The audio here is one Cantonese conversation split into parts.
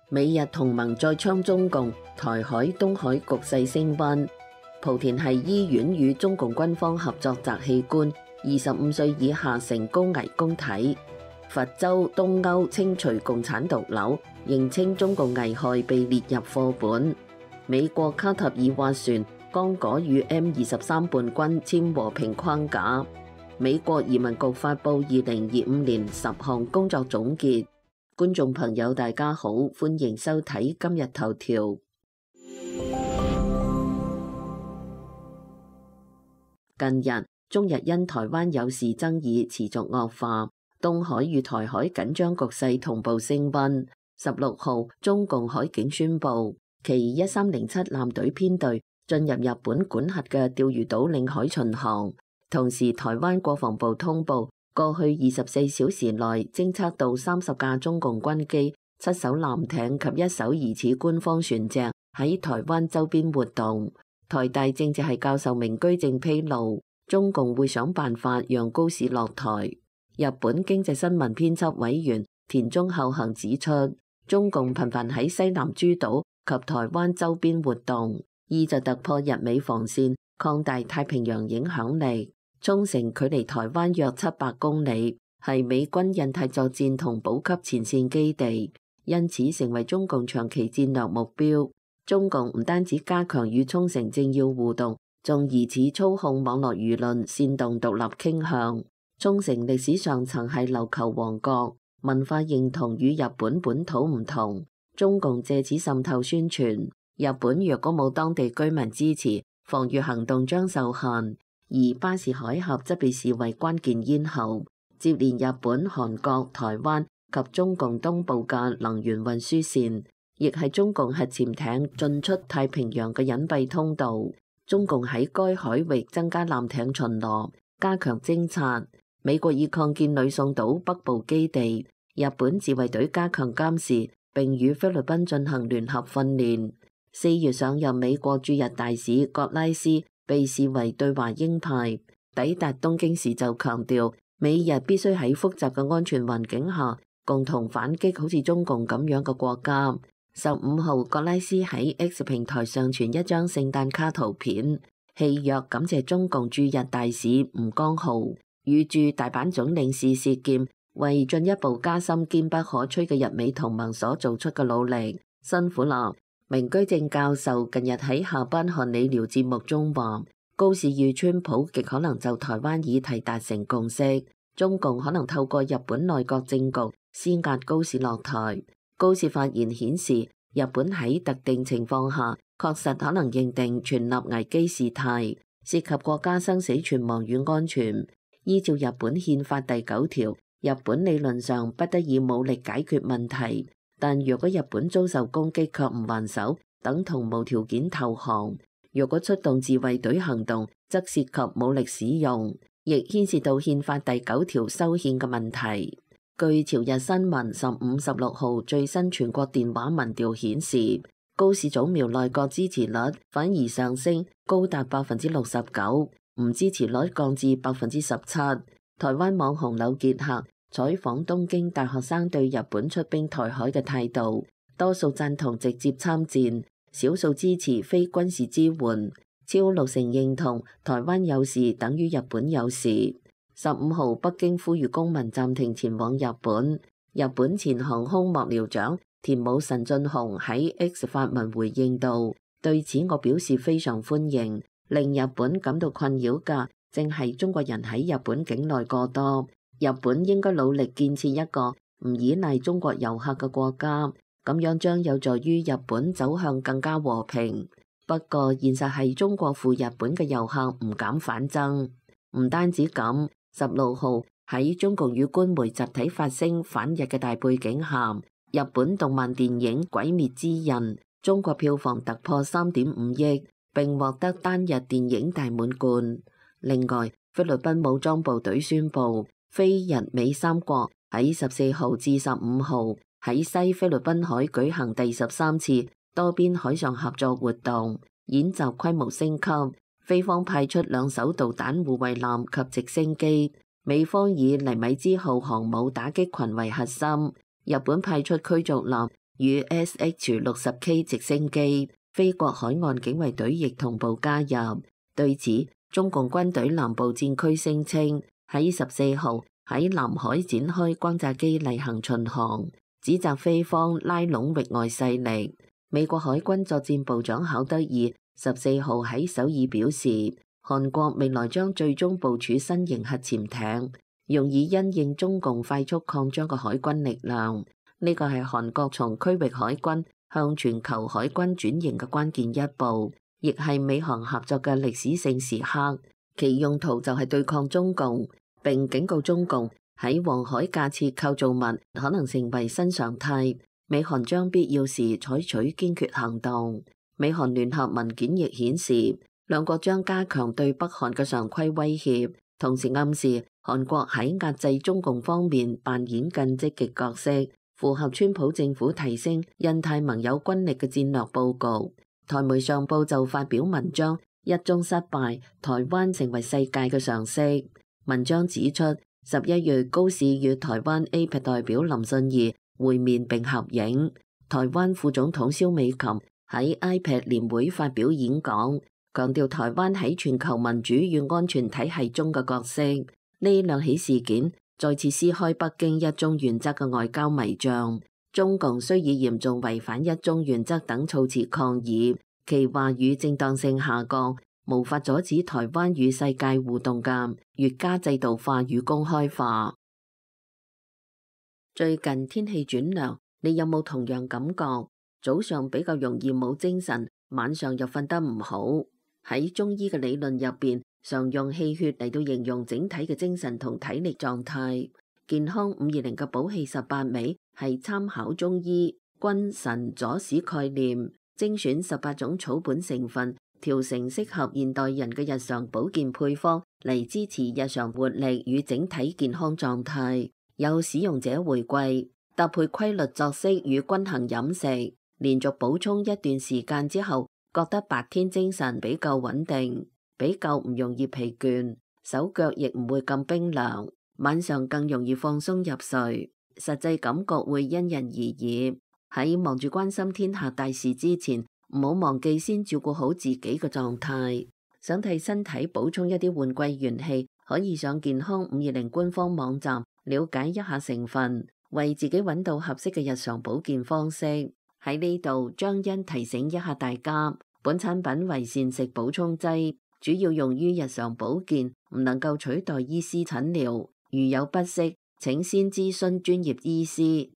美日同盟再槍中共，台海、東海局勢升溫。莆田系醫院與中共軍方合作摘器官，25歲以下成高危公體。佛州東歐清除共產毒瘤，認清中共危害被列入課本。美國卡塔爾斡旋，剛果與 M23叛軍簽和平框架。美國移民局發布2025年10項工作總結。觀眾朋友大家好，歡迎收睇今日頭條。近日，中日因台灣有事爭議持續惡化，東海與台海緊張局勢同步升溫。16號，中共海警宣布，其1307艦隊編隊進入日本管轄嘅釣魚島領海巡航。同時，台灣國防部通報，過去24小時內偵測到30架中共軍機、7艘艦艇及1艘疑似官方船隻喺台灣周邊活動。台大政治系教授明居正披露，中共會想辦法讓高市落台。日本經濟新聞編輯委員田中厚行指出，中共頻繁喺西南諸島及台灣周邊活動，意就突破日美防線，擴大太平洋影響力。沖繩距離台灣約700公里，係美軍印太作戰同補給前線基地，因此成為中共長期戰略目標。中共唔單止加強與沖繩政要互動，仲疑似操控網絡輿論，煽動獨立傾向。沖繩歷史上曾係琉球王國，文化認同與日本本土唔同，中共借此滲透宣傳。日本若果冇當地居民支持，防禦行動將受限。而巴士海峽則被視為關鍵咽喉，接連日本、韓國、台灣及中共東部嘅能源運輸線，亦係中共核潛艇進出太平洋嘅隱蔽通道。中共喺該海域增加艦艇巡邏，加強偵察。美國已擴建呂宋島北部基地，日本自衛隊加強監視，並與菲律賓進行聯合訓練。4月上任美國駐日大使葛拉斯被視為對華鷹派，抵達東京時就強調，美日必須喺複雜嘅安全環境下共同反擊好似中共咁樣嘅國家。15號，葛拉斯喺 X 平台上傳一張聖誕卡圖片，戲謔感謝中共駐日大使吳江浩與駐大阪總領事薛劍為進一步加深堅不可摧嘅日美同盟所做出嘅努力，辛苦啦。明居正教授近日喺下班看理聊節目中話，高市與川普極可能就台灣議題達成共識，中共可能透過日本內閣政局施壓高市落台。高市發言顯示，日本喺特定情況下確實可能認定全立危機事態，涉及國家生死存亡與安全。依照日本憲法第9條，日本理論上不得以武力解決問題。但若果日本遭受攻擊卻唔還手，等同無條件投降；若果出動自衛隊行動，則涉及武力使用，亦牽涉到憲法第9條修憲嘅問題。據朝日新聞15、16號最新全國電話民調顯示，高市早苗內閣支持率反而上升，高達69%，唔支持率降至17%。台灣網紅柳傑克採訪東京大學生對日本出兵台海嘅態度，多數贊同直接參戰，少數支持非軍事支援，超60%認同台灣有事等於日本有事。15號，北京呼籲公民暫停前往日本。日本前航空幕僚長田武神進雄喺 X 發文回應道，對此我表示非常歡迎。令日本感到困擾嘅，正係中國人喺日本境內過多。日本應該努力建設一個唔依賴中國遊客嘅國家，咁樣將有助於日本走向更加和平。不過現實係中國赴日本嘅遊客唔減反增。唔單止咁，16號喺中共與官媒集體發聲反日嘅大背景下，日本動漫電影《鬼滅之刃》中國票房突破3.5億，並獲得單日電影大滿貫。另外，菲律賓武裝部隊宣布，菲日美三國喺14號至15號喺西菲律賓海舉行第13次多邊海上合作活動，演習規模升級。菲方派出2艘導彈護衛艦及直升機，美方以尼米茲號航母打擊群為核心。日本派出驅逐艦與 SH-60K 直升機，菲國海岸警衛隊亦同步加入。對此，中共軍隊南部戰區聲稱喺14號喺南海展開轟炸機例行巡航，指責菲方拉攏域外勢力。美國海軍作戰部長考德爾14號喺首爾表示，韓國未來將最終部署新型核潛艇，用以因應中共快速擴張嘅海軍力量。呢個係韓國從區域海軍向全球海軍轉型嘅關鍵一步，亦係美韓合作嘅歷史性時刻。其用途就係對抗中共，並警告中共喺黃海架設構造物可能成為新常態，美韓將必要時採取堅決行動。美韓聯合文件亦顯示，兩國將加強對北韓嘅常規威脅，同時暗示韓國喺壓制中共方面扮演更積極角色，符合川普政府提升印太盟友軍力嘅戰略佈局。台媒上報就發表文章，一宗失敗，台灣成為世界嘅常識。文章指出，11月高市與台灣 APEC 代表林信義會面並合影。台灣副總統蕭美琴喺 APEC 年會發表演講，強調台灣喺全球民主與安全體系中嘅角色。呢兩起事件再次撕開北京一中原則嘅外交迷障。中共雖以嚴重違反一中原則等措辭抗議，其話語正當性下降，無法阻止台灣與世界互動嘅越加制度化與公開化。最近天氣轉涼，你有冇同樣感覺？早上比較容易冇精神，晚上又瞓得唔好。喺中醫嘅理論入邊，常用氣血嚟到形容整體嘅精神同體力狀態。健康520嘅補氣18味係參考中醫君臣佐使概念，精選18種草本成分，調成適合現代人嘅日常保健配方嚟支持日常活力與整體健康狀態。有使用者回饋，搭配規律作息與均衡飲食，連續補充一段時間之後，覺得白天精神比較穩定，比較唔容易疲倦，手腳亦唔會咁冰涼，晚上更容易放鬆入睡。實際感覺會因人而異。喺忙住關心天下大事之前，唔好忘記先照顧好自己嘅狀態。想替身體補充一啲換季元氣，可以上健康520官方網站了解一下成分，為自己揾到合適嘅日常保健方式。喺呢度，張欣提醒一下大家，本產品為膳食補充劑，主要用於日常保健，唔能夠取代醫師診療。如有不適，請先諮詢專業醫師。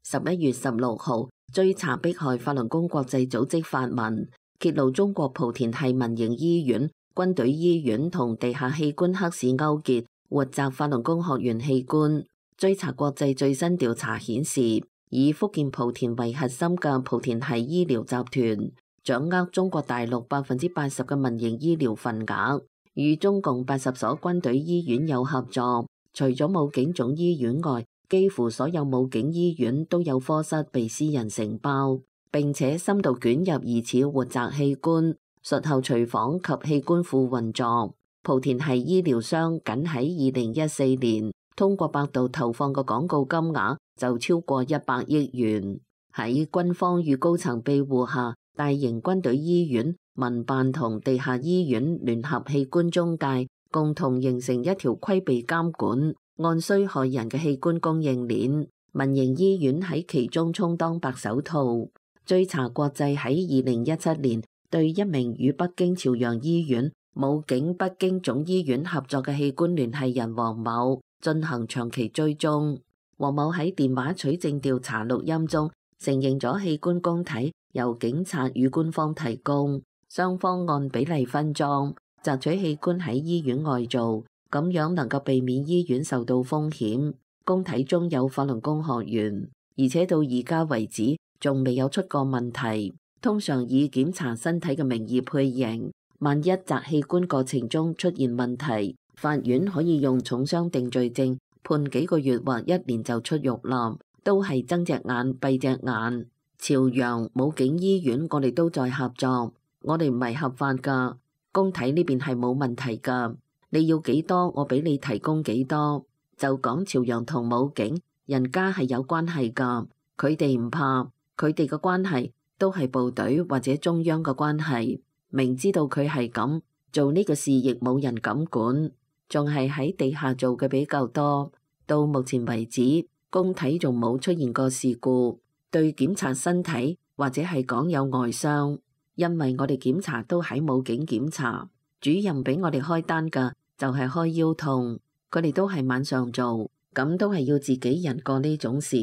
11月16號，追查迫害法輪功國際組織發文，揭露中國莆田系民營醫院、軍隊醫院同地下器官黑市勾結，活摘法輪功學員器官。追查國際最新調查顯示，以福建莆田為核心嘅莆田系醫療集團，掌握中國大陸80%嘅民營醫療份額，與中共80所軍隊醫院有合作。除咗武警總醫院外，幾乎所有武警醫院都有科室被私人承包，並且深度捲入疑似活摘器官、術後隨訪及器官庫運作。莆田系醫療商僅喺2014年通過百度投放嘅廣告金額就超過100億元。喺軍方與高層庇護下，大型軍隊醫院、民辦同地下醫院聯合器官中介，共同形成一條規避監管、按需害人嘅器官供應鏈。民營醫院喺其中充當白手套。追查國際喺2017年對一名與北京朝陽醫院、武警北京總醫院合作嘅器官聯繫人黃某進行長期追蹤。黃某喺電話取證調查錄音中承認咗器官供體由警察與官方提供，雙方按比例分裝，摘取器官喺醫院外做，咁樣能夠避免醫院受到風險。供體中有法輪功學員，而且到而家為止仲未有出過問題。通常以檢查身體嘅名義配型，萬一摘器官過程中出現問題，法院可以用重傷定罪證判幾個月或1年就出獄啦。都係睜隻眼閉隻眼。朝陽武警醫院我哋都在合作，我哋唔係合法噶，供體呢邊係冇問題噶。你要幾多，我俾你提供幾多。就講朝陽同武警，人家係有關係㗎，佢哋唔怕，佢哋嘅關係都係部隊或者中央嘅關係。明知道佢係咁做呢個事，亦冇人敢管，仲係喺地下做嘅比較多。到目前為止，工體仲冇出現過事故，對檢查身體或者係講有外傷，因為我哋檢查都喺武警檢查，主任俾我哋開單㗎就係開腰痛。佢哋都係晚上做，咁都係要自己人過呢種事。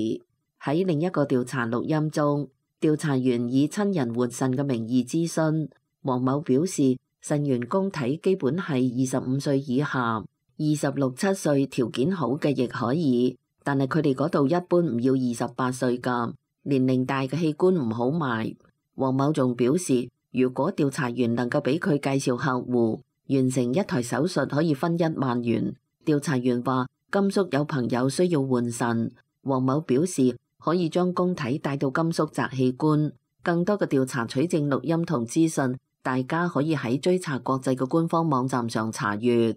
喺另一個調查錄音中，調查員以親人換腎嘅名義諮詢，黃某表示腎源供體基本係25歲以下，26、7歲條件好嘅亦可以，但係佢哋嗰度一般唔要28歲㗎，年齡大嘅器官唔好賣。黃某仲表示，如果調查員能夠俾佢介紹客戶，完成一台手術可以分1萬元。調查員話甘肅有朋友需要換腎，黃某表示可以將供體帶到甘肅摘器官。更多嘅調查取證錄音同資訊，大家可以喺追查國際嘅官方網站上查閱。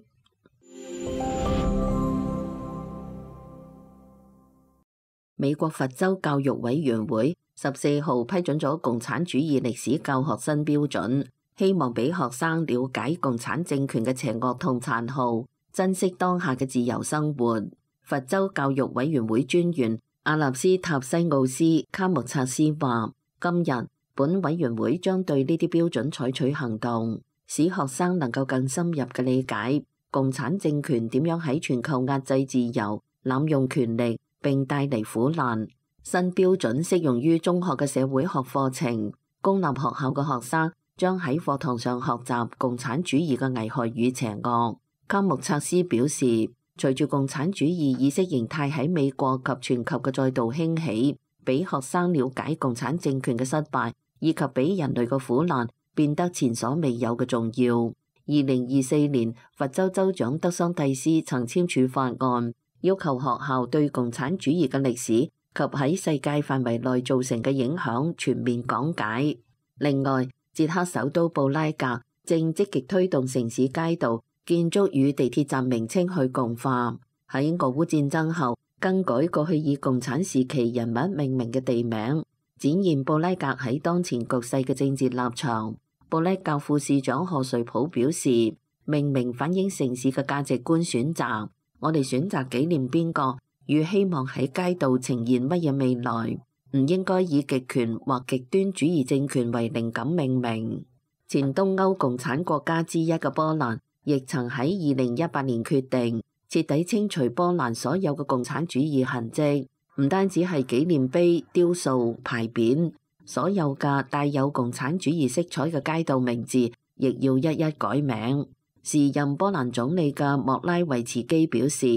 美國佛州教育委員會14號批准咗共產主義歷史教學新標準，希望俾學生了解共產政權嘅邪惡同殘酷，珍惜當下嘅自由生活。佛州教育委員會專員阿納斯塔西奧斯卡穆察斯話，今日本委員會將對呢啲標準採取行動，使學生能夠更深入嘅理解共產政權點樣喺全球壓制自由、濫用權力並帶嚟苦難。新標準適用於中學嘅社會學課程，公立學校嘅學生將喺課堂上學習共產主義嘅危害與邪惡。卡穆察斯表示，隨住共產主義意識形態喺美國及全球嘅再度興起，俾學生了解共產政權嘅失敗以及俾人類嘅苦難變得前所未有嘅重要。2024年，佛州州長德桑蒂斯曾簽署法案，要求學校對共產主義嘅歷史及喺世界範圍內造成嘅影響全面講解。另外，捷克首都布拉格正積極推動城市街道建築與地鐵站名稱去共化，喺俄烏戰爭後更改過去以共產時期人物命名嘅地名，展現布拉格喺當前局勢嘅政治立場。布拉格副市長賀瑞普表示，命名反映城市嘅價值觀選擇，我哋選擇紀念邊個與希望喺街道呈現乜嘢未來，唔應該以極權或極端主義政權為靈感命名。前東歐共產國家之一嘅波蘭亦曾喺2018年決定徹底清除波蘭所有嘅共產主義痕跡，唔單止係紀念碑、雕塑、牌匾，所有嘅帶有共產主義色彩嘅街道名字亦要一一改名。時任波蘭總理嘅莫拉維茨基表示，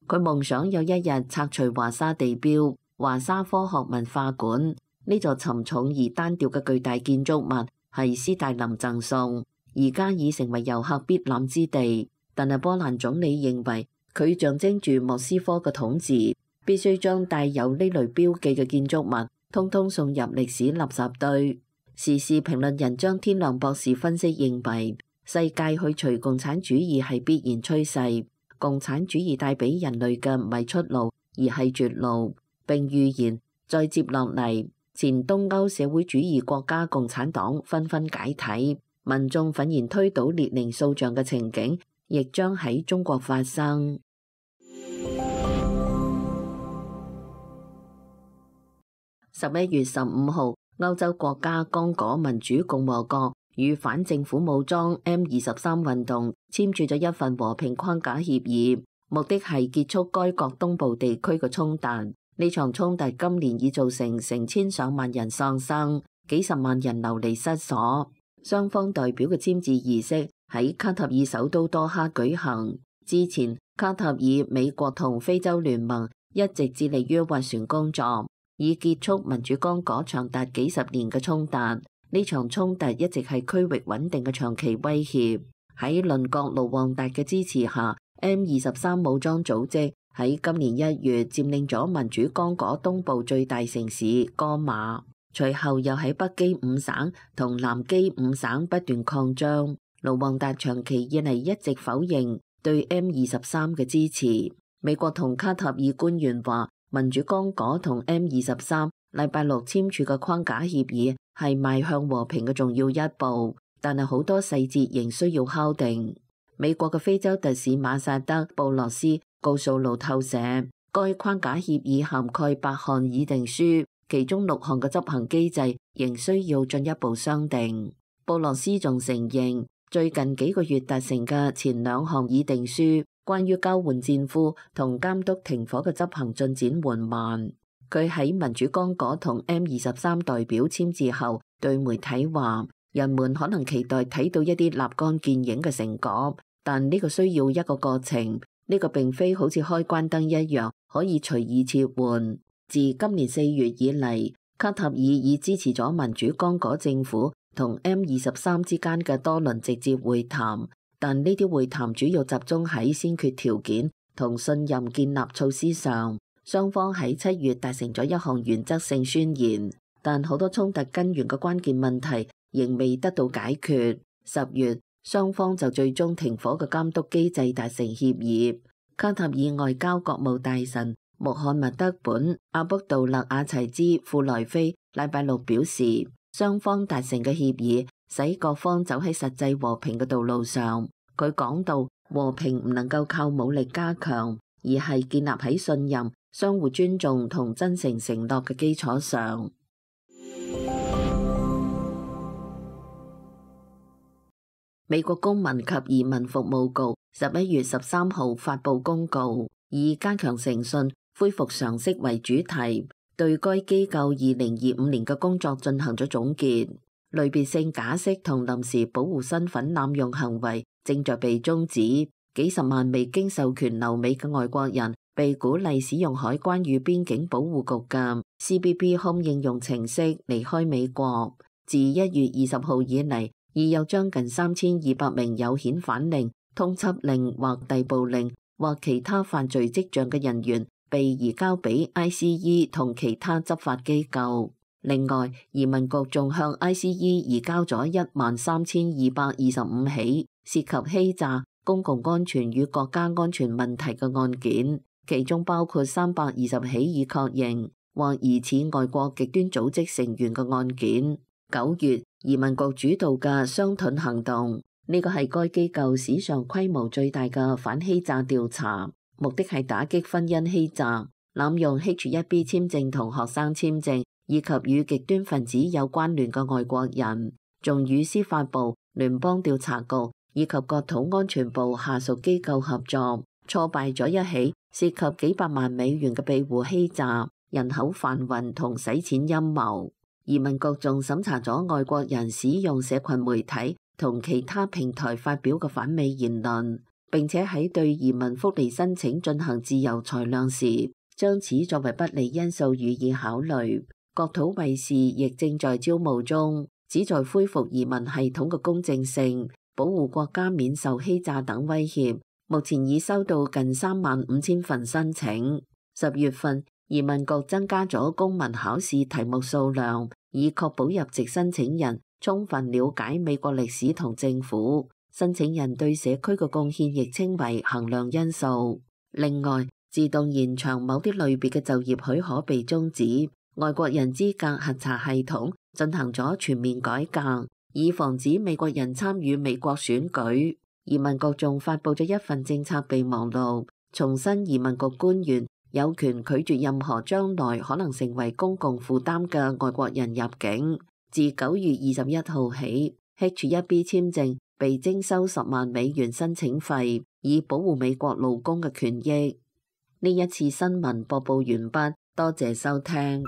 佢夢想有一日拆除華沙地標華沙科學文化館，呢座沉重而單調嘅巨大建築物係斯大林贈送，而家已成為遊客必覽之地。但係波蘭總理認為佢象徵住莫斯科嘅統治，必須將帶有呢類標記嘅建築物通通送入歷史垃圾堆。時事評論人張天亮博士分析認為，世界去除共產主義係必然趨勢，共產主義帶俾人類嘅唔係出路，而係絕路。並預言再接落嚟，前東歐社會主義國家共產黨紛紛解體，民眾憤然推倒列寧塑像嘅情景，亦將喺中國發生。11月15號，歐洲國家剛果民主共和國與反政府武裝 M23 運動簽署咗一份和平框架協議，目的係結束該國東部地區嘅衝突。呢場衝突今年已造成成千上萬人喪生，幾十萬人流離失所。雙方代表嘅簽字儀式喺卡塔爾首都多哈舉行。之前，卡塔爾、美國同非洲聯盟一直致力於斡旋工作，以結束民主剛果長達幾十年嘅衝突。呢場衝突一直係區域穩定嘅長期威脅。喺鄰國盧旺達嘅支持下，M23 武裝組織喺今年1月佔領咗民主剛果東部最大城市戈馬，隨後又喺北基五省同南基五省不斷擴張。盧旺達長期以嚟一直否認對 M23嘅支持。美國同卡塔爾官員話，民主剛果同 M23禮拜六簽署嘅框架協議係邁向和平嘅重要一步，但係好多細節仍需要敲定。美國嘅非洲特使馬薩德·布洛斯告訴路透社，該框架協議涵蓋8項議定書，其中6項嘅執行機制仍需要進一步商定。布洛斯仲承認，最近幾個月達成嘅前2項議定書，關於交換戰俘同監督停火嘅執行進展緩慢。佢喺民主剛果同 M23代表簽字後，對媒體話：人們可能期待睇到一啲立竿見影嘅成果，但呢個需要一個過程。呢個並非好似開關燈一樣可以隨意切換。自今年4月以嚟，卡塔爾已支持咗民主剛果政府同 M23之間嘅多輪直接會談，但呢啲會談主要集中喺先決條件同信任建立措施上。雙方喺7月達成咗一項原則性宣言，但好多衝突根源嘅關鍵問題仍未得到解決。10月，雙方就最終停火嘅監督機制達成協議。卡塔爾外交國務大臣穆罕默德本阿卜杜勒阿齊茲庫萊菲禮拜六表示，雙方達成嘅協議使各方走喺實際和平嘅道路上。佢講到，和平唔能夠靠武力加強，而係建立喺信任、相互尊重同真誠承諾嘅基礎上。美國公民及移民服務局11月13號發布公告，以加強誠信、恢復常識為主題，對該機構2025年嘅工作進行咗總結。類別性假釋同臨時保護身份濫用行為正在被終止，幾十萬未經授權留美嘅外國人被鼓勵使用海關與邊境保護局嘅 CBP Home 應用程式離開美國。自1月20號以嚟，已有將近3200名有遣返令、通緝令或逮捕令或其他犯罪跡象嘅人員被移交俾 ICE 同其他執法機構。另外，移民局仲向 ICE 移交咗13225起涉及欺詐、公共安全與國家安全問題嘅案件，其中包括320起已確認或疑似外國極端組織成員嘅案件。9月，移民局主導嘅雙盾行動，呢個係該機構史上規模最大嘅反欺詐調查，目的係打擊婚姻欺詐、濫用 H1B 簽證同學生簽證，以及與極端分子有關聯嘅外國人，仲與司法部、聯邦調查局以及國土安全部下屬機構合作，挫敗咗一起涉及幾百萬美元嘅庇護欺詐、人口販運同洗錢陰謀。移民局仲審查咗外國人使用社群媒體同其他平台發表嘅反美言論，並且喺對移民福利申請進行自由裁量時，將此作為不利因素予以考慮。國土衛士亦正在招募中，旨在恢復移民系統嘅公正性，保護國家免受欺詐等威脅。目前已收到近35000份申請。10月份，移民局增加咗公民考試題目數量，以確保入籍申請人充分了解美國歷史同政府。申請人對社區嘅貢獻亦稱為衡量因素。另外，自動延長某啲類別嘅就業許可被終止。外國人資格核查系統進行咗全面改革，以防止美國人參與美國選舉。移民局仲發布咗一份政策備忘錄，重申移民局官員有權拒絕任何將來可能成為公共負擔嘅外國人入境。自9月21號起，H1B 簽證被徵收10萬美元申請費，以保護美國勞工嘅權益。呢一次新聞播報完畢，多謝收聽。